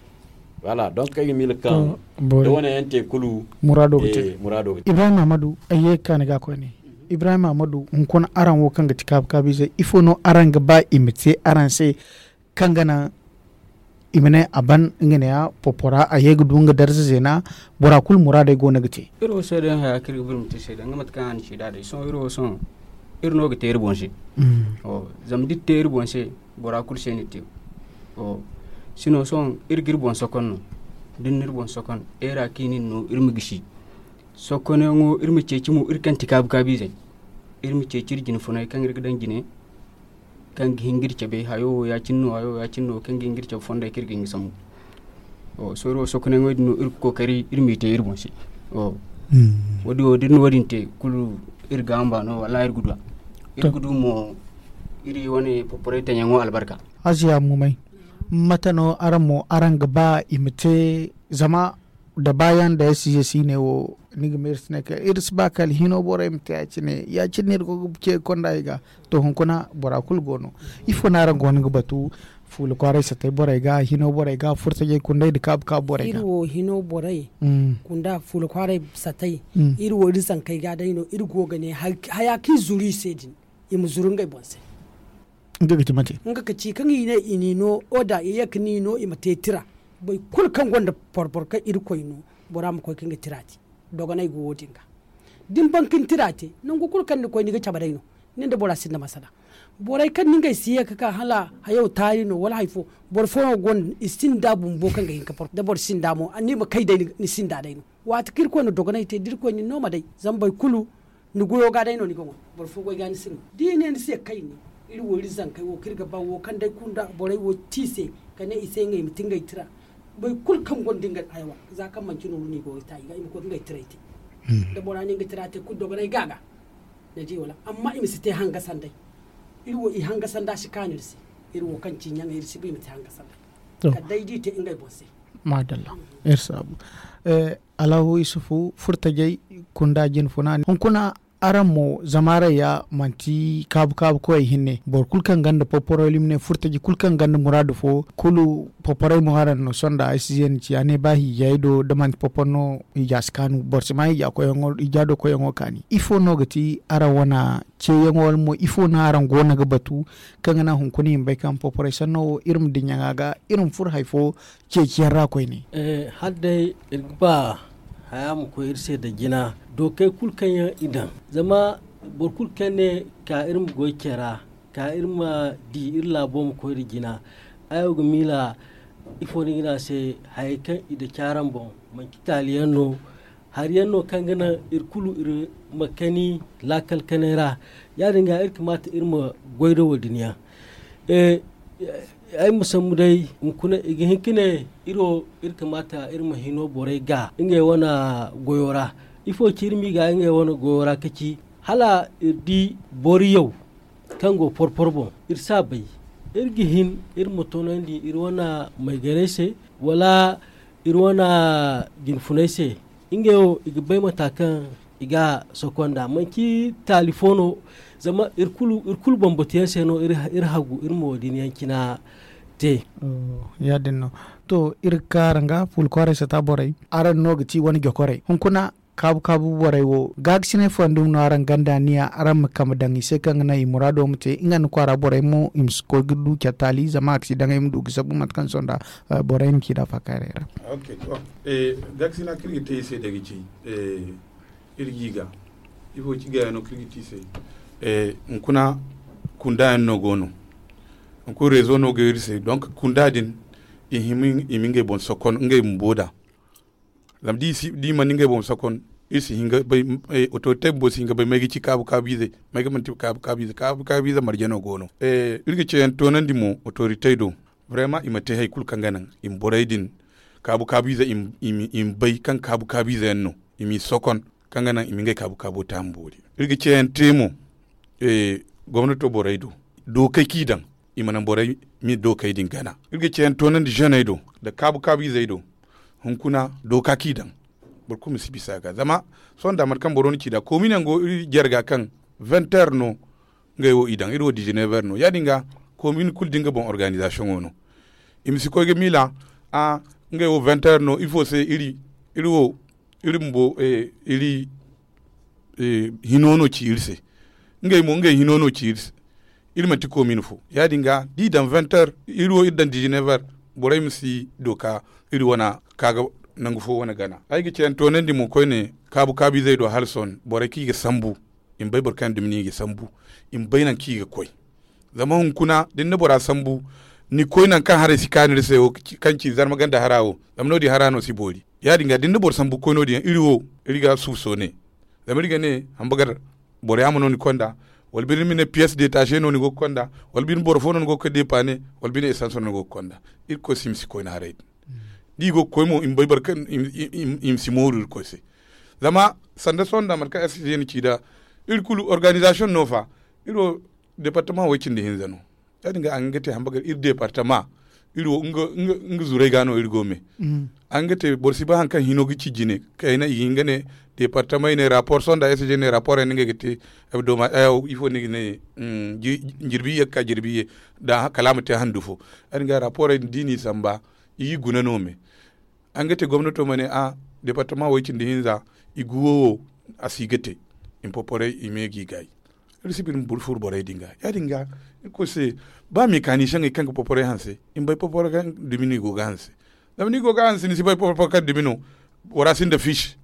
Wala donk ay ga miila kaŋ da wane yaŋ te kulu muraado ga te. Ibrahim ahmadu ay ye ga ka ni ga koyne. Ibrahim ahmadu hunkuna araŋ wo kaŋ ga ti kaabu kaabu ize ifo no araŋ ga ba i ma te araŋ se kaŋ ga naŋ i ma ne a ban nga ne ya popora a ye ga du nga darza zeena. Bora kulu muraadey go no ga te. Iri wo seedayaŋ haya kaŋ iri ga ba iri ma te seedayaŋ nga mate kaŋ a na ci nd'a day sohõ iri wo sohõ iri no ga te iri boŋ se. Zama da iri te iri boŋ se bora kulu se no iri te. Sino sohõ iri ga iri boŋ sokon no da ni na iri boŋ sokon eera kaŋ i na iri no iri ma gisi. Sokoneyaŋo iri ma ceeci mo iri kaŋ ti kaabu kaabu izey iri ma ceeci iri jine funay kaŋ iri ga daŋ jine kaŋ ga hin ga iri cabe hayo wo ya- cine no hayo wo ya- cine no kaŋ ga hin ga iri cabe fondey kaŋ iri ga hin ga sambu. Sohõ iri wo sokoneyaŋo din no iri ga kookari iri m'i te iri boŋ se. Wo- din wo da iri na wo- din te kulu iri ga hamba no wallaahi iri ga du a. Iri ga du mo iri wane poporay taŋyaŋo albarka. Aziya mumay mate no araŋ mo araŋ ga ba i ma te zama da baayaŋ da ay si ye si ne wo ni ga ma iri si ne kaŋ iri si ba kala hino borey ma te ya- cine ya- cine no iri go ga ce konda i ga. To hunkuna bora kulu go no. Ifo no araŋ go no ga batu fuula kwaaray satay borey ga hino borey ga furtajey kundey nda kaabu kaabu borey ga iri wo hino borey kunda fuula kwaaray satay iri wo iri zankey ga day no iri go ga ne haya kaŋ i zuru i se din. i ma zuru ngey boŋ se. Nga ga ci mate? Nga ga ci kaŋ i ne i n'i no oda i ye ka n'i no i ma te tira. Boro kulu kaŋ gonda porporo kaŋ irkoy no, bora ma koy ka nga tira te. Dogonay go wo- din ga da ni ban ka ni tira te, nangu kulu kaŋ ni koy ni ga cabe day no. Nin da bora sinda masala. Borey kaŋ ni ngey si ye ka ka hala hayo taari no wala hari fo. Boro fo no go no i sinda bumbo kaŋ ga hin ka porporo da boro sinda mo ni ma kay day, ni sinda day no. Waati kaŋ irkoy na dogonay te da irkoy na ni no ma day, zama boro kulu ni goyo ga day no ni ga ŋwa. Boro fo goy ga ni si ŋwa da i ne ni se kayne. Iri wo iri zankey wo kaŋ iri ga ba wo kaŋ day kunda borey wo ti i se, ka ne i se ngey ma ti ngey tira. Boro kulu kaŋ gonda ngey hayawa, za kaŋ manci nooru no i go ga ta i ga i ma koy ka ngey tiray te. Da bora ne nga tira te kulu dogonay ga ga. Ni di wala amma i ma si te hanga sanday. Iri wo i hanga sanda si kaanu iri se. Iri wo kaŋ ci ɲaŋey iri si ba i ma te hanga sanday. Kala day da i te ngey boŋ se. Maadalla. Iri saabu. Allahu isufu furtajey kunda jinfuna hunkuna. Araŋ mo zama araŋ ya manti kaabu kaabu koyey hinne boro kulu kaŋ gonda poporey limne furtaji kulu kaŋ gonda muraadu fo kulu. Poporey mo araŋ no sonda ay si zeeni ci a ne ba hiijayey do da manti popor no hiija si kaanu boro si ma hiija do koyyaŋo kaani ifo no ga ti araŋ wane ceeyaŋo wala mo ifo no araŋ go no ga batu? Kaŋ ga naŋ hunkuna i ma bay kaŋ poporey sanno wo iri ma diɲɲaŋa ga iri ma furo hari fo ceeciyaŋ ra koyne. Hala day iri ga ba haya ma koy iri se nda jina dookey kulu kaŋ yaŋ i daŋ. Zama boro kulu kaŋ ne ka iri ma goy care ra ka iri ma di iri laabo ma koy nda jina. Ay wo ga miila ifo no i ga ne a se? Hayey kaŋ i daŋ caaraŋ boŋ manti taali yaŋ no. Hari yaŋ no kaŋ ga naŋ iri kulu iri ma kani laakal kanay ra. Ya- din ga iri kamaata iri ma goy nda wo- din yaŋ. Ay ma sambu day hunkuna i ga hin ka ne iri wo iri kamaata iri ma hino borey ga ngey wane goyo ra. Ifo ci iri m'i ga ngey wane goyo ra ka ci hala iri di boro yaw kaŋ go porporo boŋ iri si a bay. Iri ga hin iri ma toonandi iri wane mayganey se wala iri wane jinfuney se. Ngey wo i ga bay mata kaŋ i ga a soko nd'a manti taali fo no. Zama iri kulu bambata yaŋ se no iri hagu iri ma wo- din yaŋ cina te. Ya- din no. To iri ga ka araŋ ga fuula kwaaray sata borey araŋ no ga ti wane jokorey hunkuna. Kaabu kaabu borey wo gaagasinay fooyaŋ dumi no araŋ ganda niya araŋ ma kambe daŋ i se kaŋ ga naŋ i muraado ma te nga nda kwaara borey mo i ma si koy ga du care taali zama a ga si daŋ ay ma du ga sabu mate kaŋ sonda borey ma ci nd'a faakaaray ra. Gaakasina kaŋ iri ga te i se day ga ci iri ga i ga ifo ci gaayaŋo kaŋ iri ga te i se. Hunkuna kunda yaŋ no go no. Hunkuna reezo no go iri se donk kunda din i hima i ma ngey boŋ sokon ngey bumbo nd'a. Zama da i mana ngey boŋ sokon iri si hin ga bay. Otorite bumbo si hin ga bay may ga ci kaabu kaabu izey may ga manti kaabu kaabu ize kaabu kaabu ize marje no go no. Iri ga ceeyaŋ toonandi mo otoritey do. Barayma i ma te hari kulu kaŋ ga naŋ i ma borey din kaabu kaabu ize i ma bay kaŋ kaabu kaabu ize yaŋ no i m'i sokon kaŋ ga naŋ i ma ngey kaabu kaabo taama boori. Iri ga ceeyaŋ te mo gomnato borey do dookey kaŋ i daŋ i ma naŋ borey ma dookey din gana. Iri ga ceeyaŋ toonandi zeney do nda kaabu kaabu izey do. Hunkuna dooka kaŋ i daŋ boro kulu ma si bisa a ga zama sohõ nda mate kaŋ boro na ci nd'a koomin yaŋ go iri jare ga kaŋ venter no. Ngey wo i daŋ iri wo dizinever no ya- din ga koomin kulu da nga boŋ organizasiyoŋo no. I ma si koy ga miila a ngey wo venter no ifo se iri iri wo iri bumbo iri hino no ci iri se. Ngey mo ngey hino no ci iri se. Iri manti koomin fo ya- din ga da i daŋ venter iri wo iri daŋ dizinever. Borey ma si dooka iri wane ka ga nangu fo wane gana ay ga ceeyaŋ toonandi mo koyne kaabu kaabu izey do hala sohõ borey kaŋ i ga sambu i ma bay boro kaŋ yaŋ dumi no i ga sambu. I ma bay nangu kaŋ i ga koy zama hunkuna da ni na bora sambu ni koy nangu kaŋ haray si kaanu ni se wo kaŋ ci zarma ganda hara wo. Zama no- din hara no si boori ya- din ga da ni na boro sambu ga koy no- din yaŋ iri wo iri ga suuso ne. Zama iri ga ne hambagar boro yaama no ni konda wala bine ma ne piyes detaze no ni go ga konda wala bine boro fo no ni go ga koy depaane wala bine esans no ni go ga konda. Irkoy se i ma si koyne haray din da i go ga koy mo i ma bay boro kaŋ i ma si mooru irkoy se. Zama sanda sohõ nda mate kaŋ sg na ci nd'a iri kulu organizasiyoŋ no fa. Iri wo departama way cindi hinza no. Ya- din ga a ga hin ga te hamba gar iri departama iri wo nga zurey ga no iri go me. A ga hin ga te boro si bay hari kaŋ hino ga ci jine kayna i ga hin ga ne departamey ne rapor sohõ nda sg ne raporey no ngey ga te. Ifo no i ga ne jirbi iyye ga ka jirbi iyye da kala a ma te handu fo. Ya- din ga raporey din da i n'i samba i g'i guna no me. A ga hin ga te gomnato ma ne a departama way cindi hinza i guwo wo a si ga te. I ma poporey i me g'i gaayi. Iri si biri ma buru furu borey din ga. Ya- din ga, irkoy se, ba mekanisiyaŋey kaŋ ga porporey hanse, i ma bay porporo kaŋ dumi no i go ga hanse. Zama ni go ga hanse ni si bay porporo kaŋ dumi no, bora sinda fiisi.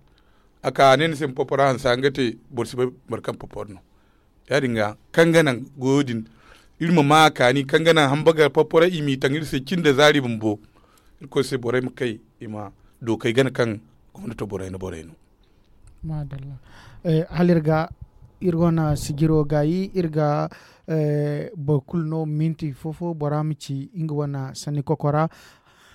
A ka a ne ni se ma porporo hanse a nga te, boro si bay boro kaŋ porporo no. Ya- din ga, kaŋ ga naŋ goyo din, iri ma ma a kaani kaŋ ga naŋ hamba ga porporo i m'i taŋ iri se cin da zaari bumbo. Irkoy se borey ma kay, i ma dookey gana kaŋ gomnato borey no borey no. Maadalla. Hala iri ga, iri wane sijiro gaayi iri ga boro kulu no minti fo-fo bora ma ci nga wane sanni kokora.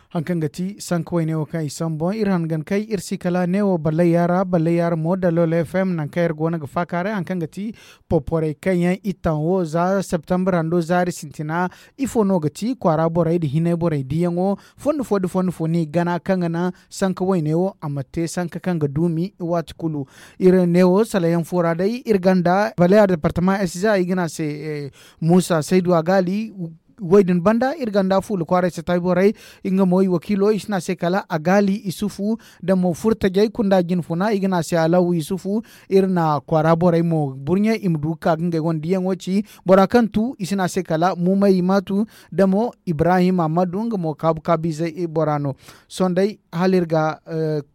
Hari kaŋ ga ti sanka wayne wo kaŋ i sambu boŋ iri hangan kay iri si kala neewo ballayya ra ballayya ra mo da lolo fm nangu kaŋ iri go no ga faakaaray hari kaŋ ga ti porporey kaŋ yaŋ i taŋ wo za septembre hando zaari sintina. Ifo no ga ti kwaara borey nda hinay borey diyaŋo? Fondo fo nda fondo fo no i gana kaŋ ga naŋ sanka wayne wo a ma te sanka kaŋ ga duumi waati kulu. Iri neewo salayaŋ fo ra day iri gonda baleya departama sj i ga ne a se muusa saydu a gaali. Way din banda iri gonda fuula kwaaray satay borey nga mo i wakiilo i si ne a se kala a gaali isufu. Da mo furtajey kunda jinfuna i ga ne a se alaw isufu. Iri na kwaara borey mo burɲe i ma du ga ka ga ngey wane diyaŋo ci. Bora kaŋ tu i si ne a se kala mumay i ma tu. Da mo ibrahim ammadu nga mo kaabu kaabu ize bora no. Sohõ day hala iri ga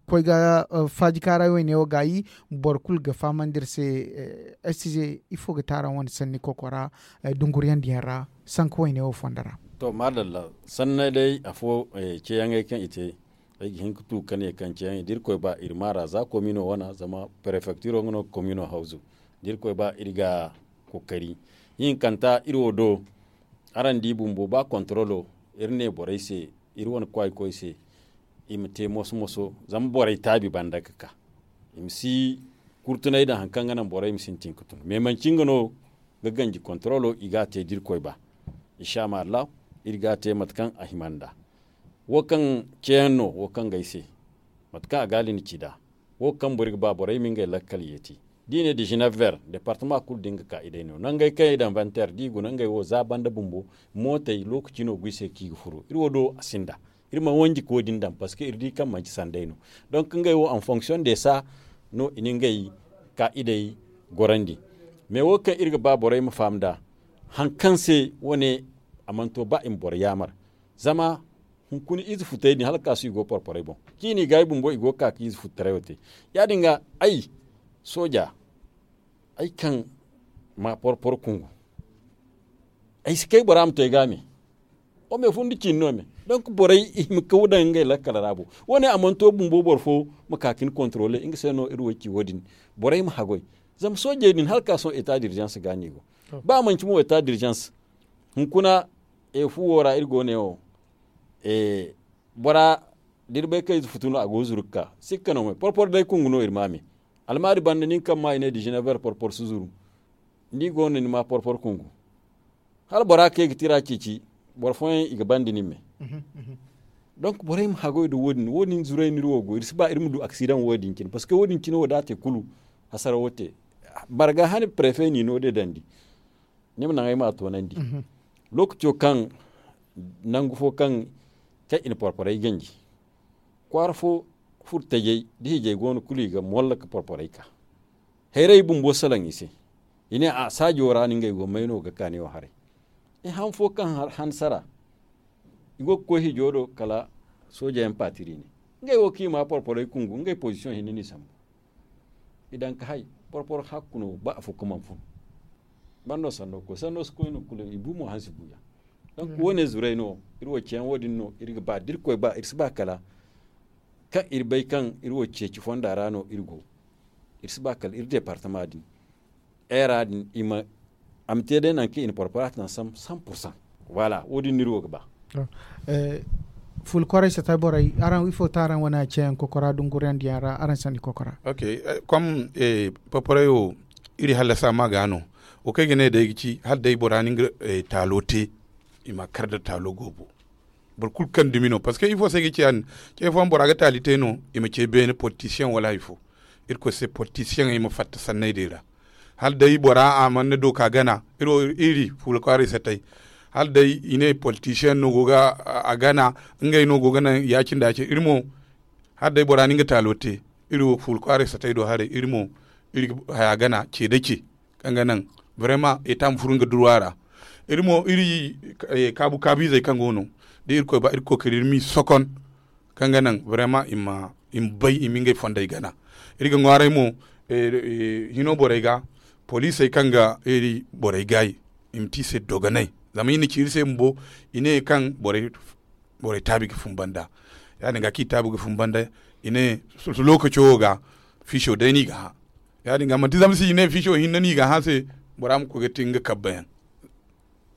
koy ga faajikaaray wayne wo gaayi. Boro kulu ga fahamandi iri se. Sj ifo ga te araŋ wane sanni kokora dunguriyandiyaŋ ra sanka wayne wo fondo ra? To maadalla, sanney day afo ceeyaŋey kaŋ i te. Ay ga hin ga tu ga ne kaŋ ceeyaŋey da irkoy ba iri maara za komino wana zama prefektiro nga no ga komino hawzu. Da irkoy ba iri ga kookari. Hinkanta iri wo do. Araŋ di bumbo ba kontorolo iri ne borey se iri wane kwaaykoy se i ma te moso moso zama borey taabi banda ga ka i ma si kurtunay daŋ hari kaŋ ga naŋ borey ma sintin ga tun mais manci nga no ga ganji kontorolo i ga a te da irkoy ba. Insa ma allahu iri ga a te mate kaŋ a hima nd'a. Wo kaŋ ceeyaŋ no wo kaŋ ga ay se mate kaŋ a gaali na ci nd'a. Wo kaŋ boro ga ba borey ma ngey lakkal yeeti da i ne dizinef ver departama kulu da nga ka i day no nangey kaŋ i daŋ vanter da i guna ngey wo za banda bumbo. Mootey lookaci no go i se kaŋ i ga furo iri wo do a sinda. Iri mana wanji ka wo- din daŋ parceque iri di kaŋ manci sanday no. Donk ngey wo en fonction de sa no i na ngey kaa'idey gorandi. Mais wo kaŋ iri ga ba borey ma faham nd'a hari kaŋ se wo- ne a mana to ba i ma boro yaamar. Zama hunkuna ize futey din hala ga ka sohõ i go porporey boŋ. Ciini ga ay bumbo i go ga ka ga ize futtaray wo te. Ya- din ga ay sooja ay kaŋ ma porporo kungu ay si kay bora ma to ay ga a me. Wo me fun da ciini no me donk borey i ma kaw daŋ ngey lakkal ra bo. Wo- ne a mana to bumbo boro fo ma ka ga ni kontrole nga se no iri wo ci wo- din. Borey ma haggoy zama soojey din hala ga ka sohõ eta dirzans ga no i go. Ba manci mo eta dirzans hunkuna efu wo ra iri go ne wo. Bora da iri bay kaŋ ize futu no a go ga zuru ga ka sikka no me porporo day kungu no iri ma a me. Almaari banda nin kaŋ ma i ne dizinef ver porporo si zuru. Ni go no ni ma porporo kungu hala bora kaŋ i ga tira ceeci. Boro fooyaŋ i ga banda nin me. Donk borey ma haggoy nda wo- din wo- din zuray no iri wo go iri si ba iri ma du aksidaŋ wo- din cine parceque wo- din cine wo da a te kulu hasara wo te. Barga hane prefe n'i no de dandi. Ni ma naŋ ay m'a toonandi. Lookaco kaŋ nangu fo kaŋ kaŋ i na porporey ganji kwaara fo furo tajey da hijey go no kulu i ga molla ga porporey ka. Hayrey bumbo salaŋ i se. I ne a saajo ra no ngey go may no ga ka ne wo haray. I han fo kaŋ han sara i go ga koy hijo do kala soojayaŋ paatiri ne. Ngey wo kaŋ i ma porporey kungu ngey pozisiyoŋ hinne no i sambu. I daŋ ga hay porporo hakku no ba afo ga mana fun. Bando sanno ga koy sanno si koy no kulu i bu mo hansi buuyaŋ. Donk wo- ne zuray no iri wo ceeyaŋ wo- din no iri ga ba da iri koy ba iri si ba kala kaŋ iri bay kaŋ iri wo ceeci fonda ra no iri go. Iri si ba kala iri departama din era din i ma a ma te day nangu kaŋ i na porporo a taŋ sam sam pursan. Voilà wo- din no iri wo ga ba. Fuula kwaray satay borey araŋ ifo ti araŋ wane ceeyaŋ kokora dunguriyandiyaŋ ra araŋ sanni kokora? Kom porporey wo iri hallasa ma ga no. Wo kaŋ ay ga ne day ga ci hala day bora na nga taalo te i ma kar nda taalo goobo. Boro kulu kaŋ dumi no parceque ifo se ay ga ci ya- din? Ce fooyaŋ bora ga taali te no i ma ce beene politisiyaŋ wala hari fo. Irkoy se politisiyaŋey ma fatta sanney din ra. Hala day bora a mana dooka gana iri wo iri fuula kwaaray satay. Hala day i ne politisiyaŋ no go ga a gana ngey no go ga naŋ ya- cine nda ya- cine iri mo. Hala day bora na nga taalo te iri wo fuula kwaaray satay do haray iri mo iri ga haya gana ce nda ce kaŋ ga naŋ Vraiment eta ma furu nga durwa ra. Iri mo iri kaabu kaabu izey kaŋ go no da irkoy ba iri kookari iri m'i sokon kaŋ ga naŋ vraiment i ma bay i ma ngey fondey gana. Iri ga ŋwaaray mo hino borey ga poliisey kaŋ ga iri borey gaayi i ma te i se dogonay. Zama i na ci iri se bumbo i ne kaŋ borey taabi ga fun banda. Ya- din ga kaŋ i taabi ga fun banda i ne lookaco wo ga fiiso day no i ga hã. Ya- din ga manti zama se i ne fiiso hinne no i ga hã se bora ma koy ga te nga kabba yaŋ.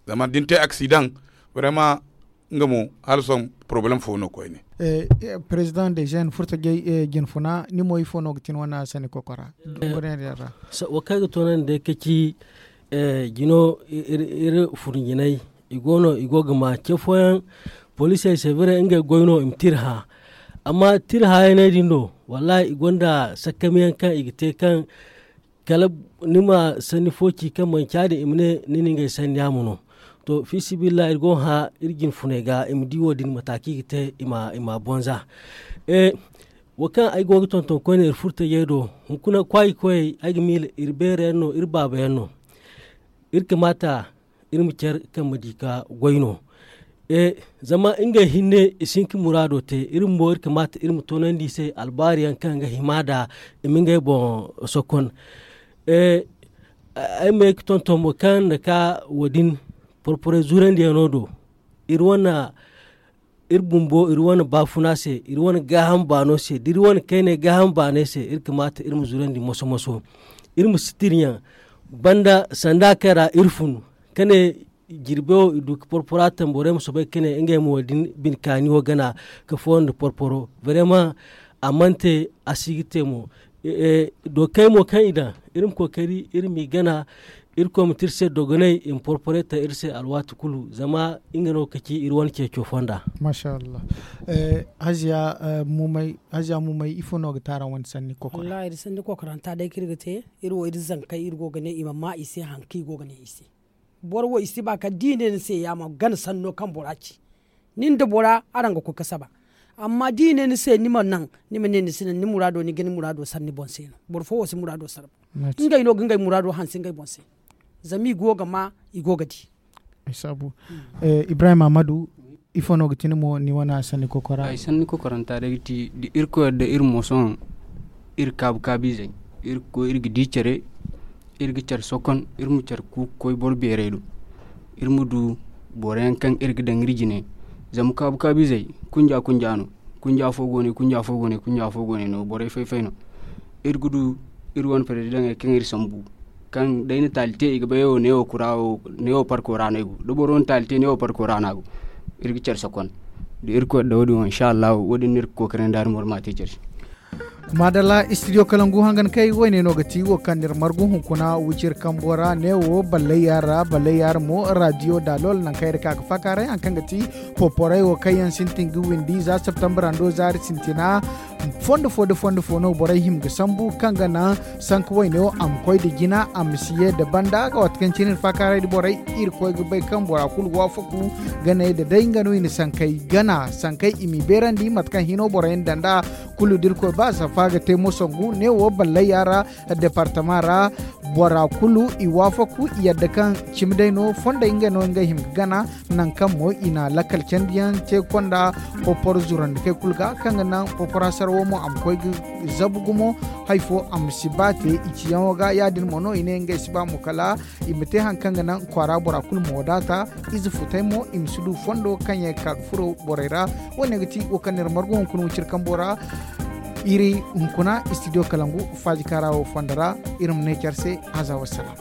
Zama da ni te aksidaŋ, vraiment nga mo hala sohõ porobalem fo no koyne. Perezidaŋ de jeune furtajey jine funa ni mo ifo no ga tin wane sanni kokora? Wo kaŋ ay ga toonandi day ka ci jino iri furjinay i go no i go ga ma ce fooyaŋ poliisey se bare ngey goy no i ma te iri hã. Amma te iri hãyaney din do wallaahi i gonda sakkamiyaŋ kaŋ i ga te kaŋ kala ni ma sanni fo ci kaŋ manci ya- din i ma ne ni na ngey sanni yaamo no. To fiisabilillahi iri go ga hã iri jine funey ga i ma di wo- din mata kaŋ i ga te i ma bonza. Wo kaŋ ay go ga tonton koyne iri furtajey do hunkuna kwaayi koyey ay ga miila iri beera yaŋ no iri baaba yaŋ no. Iri kamaata iri ma care kaŋ ma di ka goy no. Zama ngey hinne i si hin ka muraado te iri bumbo iri kamaata iri ma toonandi i se albaari yaŋ kaŋ ga hima nd'a i ma ngey boŋ sokon. Ay ma ye ga tonton mo kaŋ nda ka wo- din porporey zurandiyaŋo do iri wane iri bumbo iri wane baafuna se iri wane gaaham baano se da iri wane kayney gaaham baaney se iri kamaata iri ma zurandi moso moso. Iri ma sitiriyaŋ banda sanda kaŋ ra iri fun ka ne jirbi wo i du ka porpora tamborey ma soobay ka ne ngey mo wo- din bine kaani wo gana ka fooyaŋ nda porporo. Vraiment a mana te a si ga te mo. Dookey mo kaŋ i daŋ iri ma kookari iri m'i gana. Irkoy ma te iri se dogonay i ma porpore taŋ iri se alwaati kulu zama nga no ga ci iri wane ceeco fonda. Masha allah. Haziya mumay ifo no ga te araŋ wane sanni kokoray? Wallahi iri sanni kokoranta day kaŋ iri ga te iri wo iri zankey iri go ga ne i ma ma i se hari kaŋ i go ga ne i se. Boro wo i si ba kala da i ne ni se ya ma gana sanno kaŋ bora ci. Ni nda bora araŋ ga koy ga saba. Amma da i ne ni se ni ma naŋ ni ma ne ni si naŋ ni muraado ni ga ni muraado sara ni boŋ se no. Boro fo wo si muraado sara. Ngey no ga ngey muraado hanse ngey boŋ se. Zama i go ga ma i go ga di. Ibrahim amadu, ifo no ga ti ni mo ni wane sanni kokora? Ay sanni kokoranta day ga ti da irkoy yadda iri mo sohõ iri kaabu kaabu izey iri ga koy iri ga di care. Iri ga care sokon iri ma care kuuku koy boro beerey do. Iri ma du boro yaŋ kaŋ iri ga daŋ iri jine. Zama kaabu kaabu izey kunja kunja no. Kunja fo go no kunja fo go no kunja fo go no borey fay fay no. Iri ga du iri wane perezidaŋey kaŋ iri sambu kaŋ day na taali te i ga bay wo neewo parko ra no ay go da boro na taali te neewo parko ra no a go. Iri ga care sokon da irkoy yadda wo- din wo insa allahu wo- din no iri ga kookari nda iri ma war ma te care se. Maadalla istidiyo kalangu hangan kay woyne no ga ti wo kaŋ n'iri margu hunkuna wiciri kambo ra neewo ballayya ra ballayya ra mo radiyo daalol nangu kaŋ iri ka ga faakaaray hari kaŋ ga ti poporay wo kaŋ yaŋ sintin ga windi za septambra ndo zaari sintina. Fondo fo nda fondo fo no borey hima ga sambu kaŋ ga naŋ sanka woyne wo a ma koy nda jina a ma si ye nda banda waati kaŋ cine iri faakaaray nda borey. Iri koy ga bay kaŋ bora kulu waafaku ga ne nda day nga no i na sankey gana sankey i m'i beerandi mate kaŋ hino borey nda nd'a. Kulu da irkoy ba safa ga te moso ngu neewo ballayya ra departama ra. Bora kulu i waafaku i yadda kaŋ cimi day no fondey ngey no ngey hima ga gana. Nangu kaŋ mo i na lakkal candiyaŋ te konda popor zurandikey kulu ga kaŋ ga naŋ popora sarawo mo a ma koy ga zabu gumo. Hari fo a ma si ba te i ciyaŋo ga ya- din mo no i ne ngey si ba mo kala i ma te hari kaŋ ga naŋ kwaara bora kulu ma wadaata. Ize futey mo i ma si du fondo kaŋ yaŋ ga ka ga furo borey ra. Wo- ne ga ti wo kaŋ n'iri margu hunkuna wiciri kambo ra. Iri hunkuna istidiyo kalangu faaji kaara wo fondo ra. Iri ma ne care se haza wassalam.